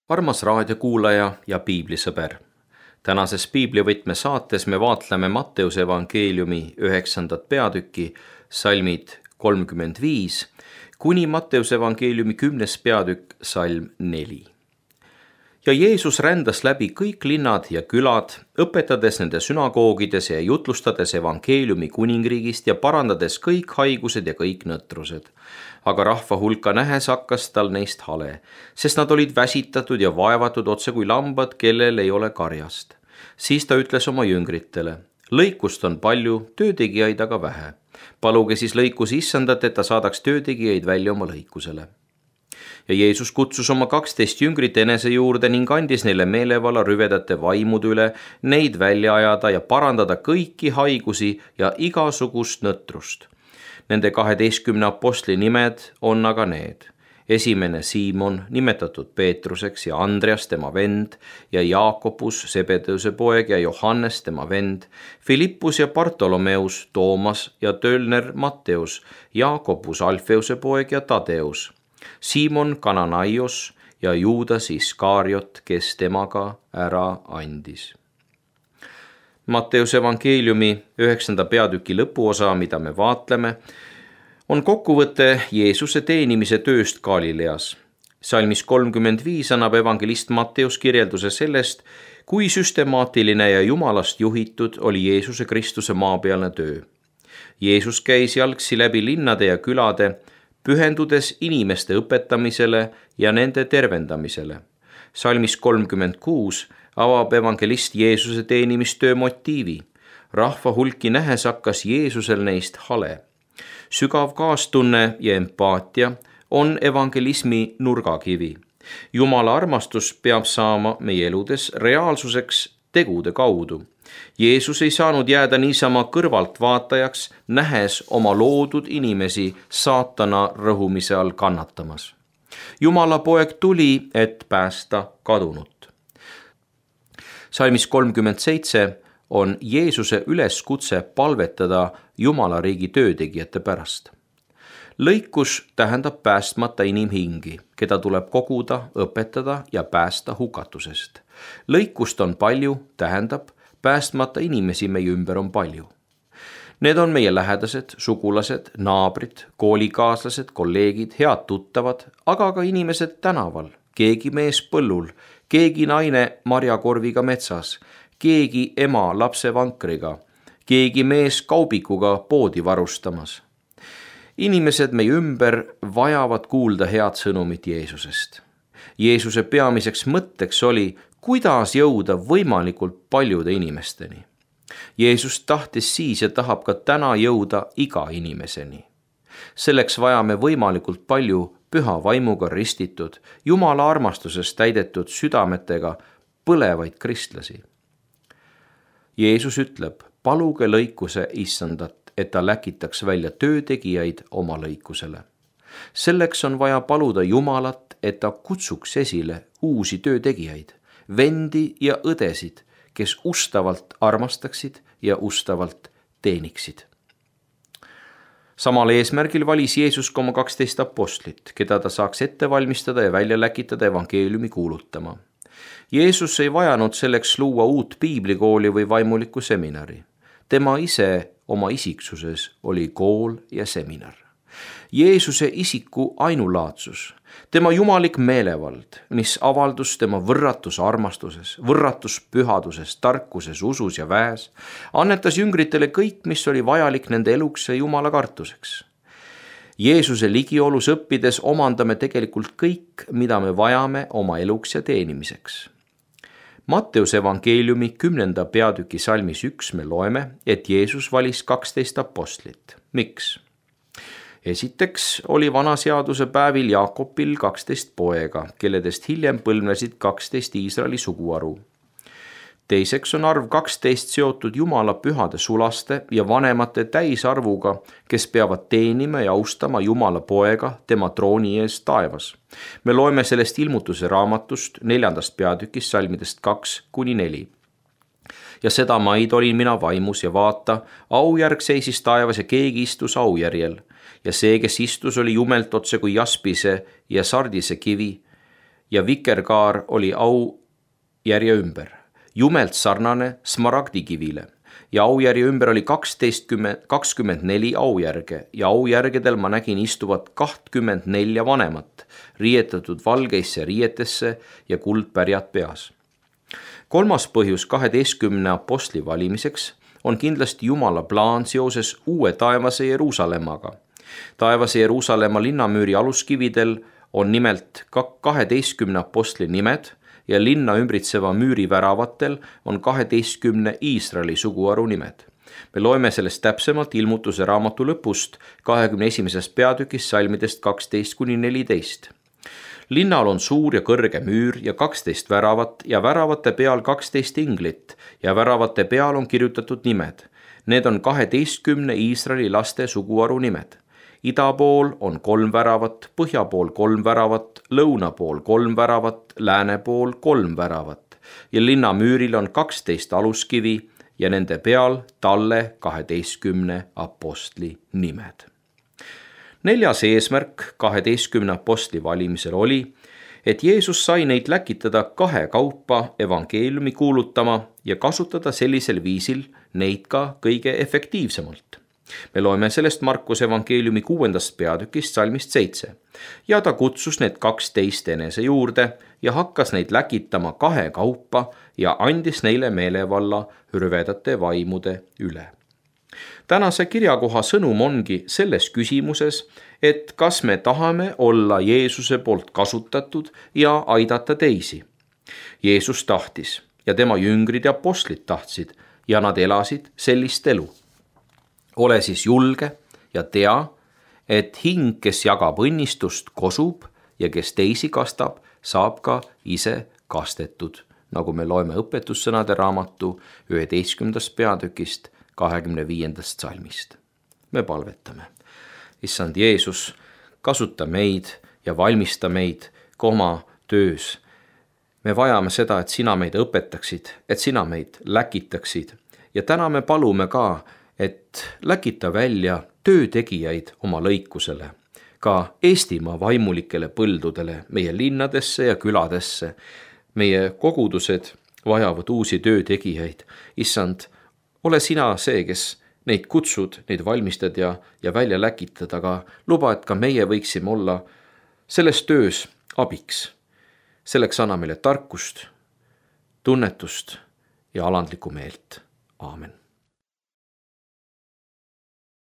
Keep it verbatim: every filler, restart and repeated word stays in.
armas raadiokuulaja ja piiblisõber. Tänases piiblivõtme saates me vaatleme Matteuse evangeeliumi üheksandat peatükki, salmid kolmkümmend viis, kuni Matteuse evangeeliumi kümnes peatükk, salm neli. Ja Jeesus rändas läbi kõik linnad ja külad, õpetades nende sünagoogides ja jutlustades evangeeliumi kuningriigist ja parandades kõik haigused ja kõik nõtrused. Aga rahva hulka nähes hakkas tal neist hale, sest nad olid väsitatud ja vaevatud otse kui lambad, kellel ei ole karjast. Siis ta ütles oma jüngritele: lõikust on palju, töötegijaid aga vähe. Paluge siis lõikus issandat, et ta saadaks töötegijaid välja oma lõikusele. Ja Jeesus kutsus oma kaksteist jüngrit enese juurde ning andis neile meelevalla rüvedate vaimude üle neid välja ajada ja parandada kõiki haigusi ja igasugust nõtrust. Nende kaheteistkümne apostli nimed on aga need: esimene Siimon, nimetatud Peetruseks, ja Andreas tema vend, ja Jaakobus, Sebedeuse poeg, ja Johannes tema vend, Filippus ja Bartolomeus, Toomas ja Tölner Matteus, Jaakobus Alfeuse poeg ja Tadeus, Siimon Kananaios ja Juudas Iskariot, kes temaga ära andis. Matteuse evangeeliumi üheksanda peatüki lõpuosa, mida me vaatleme, on kokkuvõte Jeesuse teenimise tööst Galileas. Salmis kolmkümmend viis annab evangelist Matteus kirjelduse sellest, kui süstemaatiline ja Jumalast juhitud oli Jeesuse Kristuse maapealne töö. Jeesus käis jalgsi läbi linnade ja külade, pühendudes inimeste õpetamisele ja nende tervendamisele. Salmis kolmkümmend kuus avab evangelist Jeesuse teenimistöö motiivi. Rahva hulki nähes hakkas Jeesusel neist hale. Sügav kaastunne ja empaatia on evangelismi nurgakivi. Jumala armastus peab saama meie eludes reaalsuseks tegude kaudu. Jeesus ei saanud jääda niisama kõrvaltvaatajaks, nähes oma loodud inimesi saatana rõhumise all kannatamas. Jumala poeg tuli, et päästa kadunut. Salmis kolmkümmend seitse on Jeesuse üleskutse palvetada Jumala riigi töötegijate pärast. Lõikus tähendab päästmata inimhingi, keda tuleb koguda, õpetada ja päästa hukatusest. Lõikust on palju, tähendab, päästmata inimesi meie ümber on palju. Need on meie lähedased, sugulased, naabrid, koolikaaslased, kolleegid, head tuttavad, aga ka inimesed tänaval, keegi mees põllul, keegi naine marjakorviga metsas, keegi ema lapse vankriga, keegi mees kaubikuga poodi varustamas. Inimesed meie ümber vajavad kuulda head sõnumit Jeesusest. Jeesuse peamiseks mõtteks oli, kuidas jõuda võimalikult paljude inimesteni. Jeesus tahtis siis ja tahab ka täna jõuda iga inimeseni. Selleks vajame võimalikult palju püha vaimuga ristitud, Jumala armastusest täidetud südametega põlevaid kristlasi. Jeesus ütleb: paluge lõikuse issandat, et ta läkitaks välja töötegijaid oma lõikusele. Selleks on vaja paluda Jumalat, et ta kutsuks esile uusi töötegijaid, vendi ja õdesid, kes ustavalt armastaksid ja ustavalt teeniksid. Samal eesmärgil valis Jeesus ka oma kaksteist apostlit, keda ta saaks ette valmistada ja välja läkitada evangeeliumi kuulutama. Jeesus ei vajanud selleks luua uut piiblikooli või vaimulikku seminari. Tema ise oma isiksuses oli kool ja seminar. Jeesuse isiku ainulaadsus, tema jumalik meelevald, mis avaldus tema võrratus armastuses, võrratus pühaduses, tarkuses, usus ja väes, annetas jüngritele kõik, mis oli vajalik nende eluks ja Jumala kartuseks. Jeesuse ligiolus õppides omandame tegelikult kõik, mida me vajame oma eluks ja teenimiseks. Matteuse evangeeliumi kümnenda peatüki salmis üks me loeme, et Jeesus valis kaksteist apostlit. Miks? Esiteks oli vanaseaduse päevil Jaakobil kaksteist poega, kelledest hiljem põlvnesid kaksteist Iisraeli suguharu. Teiseks on arv kaksteist seotud Jumala pühade sulaste ja vanemate täisarvuga, kes peavad teenima ja austama Jumala poega tema trooni ees taevas. Me loeme sellest ilmutuse raamatust neljandast peatükist salmidest kaks kuni neli. Ja seda maid olin mina vaimus ja vaata, aujärg seisis taevas ja keegi istus aujärjel. Ja see, kes istus, oli jumelt otse kui jaspise ja sardise kivi ja vikerkaar oli aujärje ümber, jumelt sarnane smaragdikivile. Ja aujärje ümber oli kakskümmend neli aujärge ja aujärgedel ma nägin istuvat kakskümmend neli vanemat, riietatud valgeisse riietesse ja kuldpärjad peas. Kolmas põhjus kaheteistkümne apostli valimiseks on kindlasti Jumala plaan seoses uue taevase Jeruusalemmaga. Taevase Jeruusalemma linnamüüri aluskividel on nimelt kaheteistkümne apostli nimed ja linna ümbritseva müüri väravatel on kaheteistkümne Iisraeli suguharu nimed. Me loeme sellest täpsemalt Ilmutuse raamatu lõpust kahekümne esimesest peatükist salmidest kaksteist kuni neliteist. Linnal on suur ja kõrge müür ja kaksteist väravat ja väravate peal kaksteist inglit ja väravate peal on kirjutatud nimed. Need on kaheteistkümne Iisraeli laste suguharu nimed. Ida pool on kolm väravat, põhja pool kolm väravat, lõuna pool kolm väravat, lääne pool kolm väravat ja linna müüril on kaksteist aluskivi ja nende peal talle kaheteistkümne apostli nimed. Neljas eesmärk kaheteistkümne apostli valimisel oli, et Jeesus sai neid läkitada kahe kaupa evangeeliumi kuulutama ja kasutada sellisel viisil neid ka kõige efektiivsemalt. Me loeme sellest Markuse evangeeliumi kuuendast peatükist salmist seitse. Ja ta kutsus need kaksteist enese juurde ja hakkas neid läkitama kahe kaupa ja andis neile meelevalla hürvedate vaimude üle. Tänase kirjakoha sõnum ongi selles küsimuses, et kas me tahame olla Jeesuse poolt kasutatud ja aidata teisi. Jeesus tahtis ja tema jüngrid ja apostlid tahtsid ja nad elasid sellist elu. Ole siis julge ja tea, et hing, kes jagab õnnistust, kosub ja kes teisi kastab, saab ka ise kastetud, nagu me loeme õpetussõnade raamatu üheteistkümnendast peatükist kahekümne viiendast salmist. Me palvetame. Issand Jeesus, kasuta meid ja valmista meid ka oma töös. Me vajame seda, et sina meid õpetaksid, et sina meid läkitaksid ja täna me palume ka, et läkita välja töötegijaid oma lõikusele, ka Eestimaa vaimulikele põldudele, meie linnadesse ja küladesse. Meie kogudused vajavad uusi töötegijaid. Issand, ole sina see, kes neid kutsud, neid valmistad ja, ja välja läkitad, aga luba, et ka meie võiksime olla selles töös abiks. Selleks anna meile tarkust, tunnetust ja alandlikku meelt. Aamen.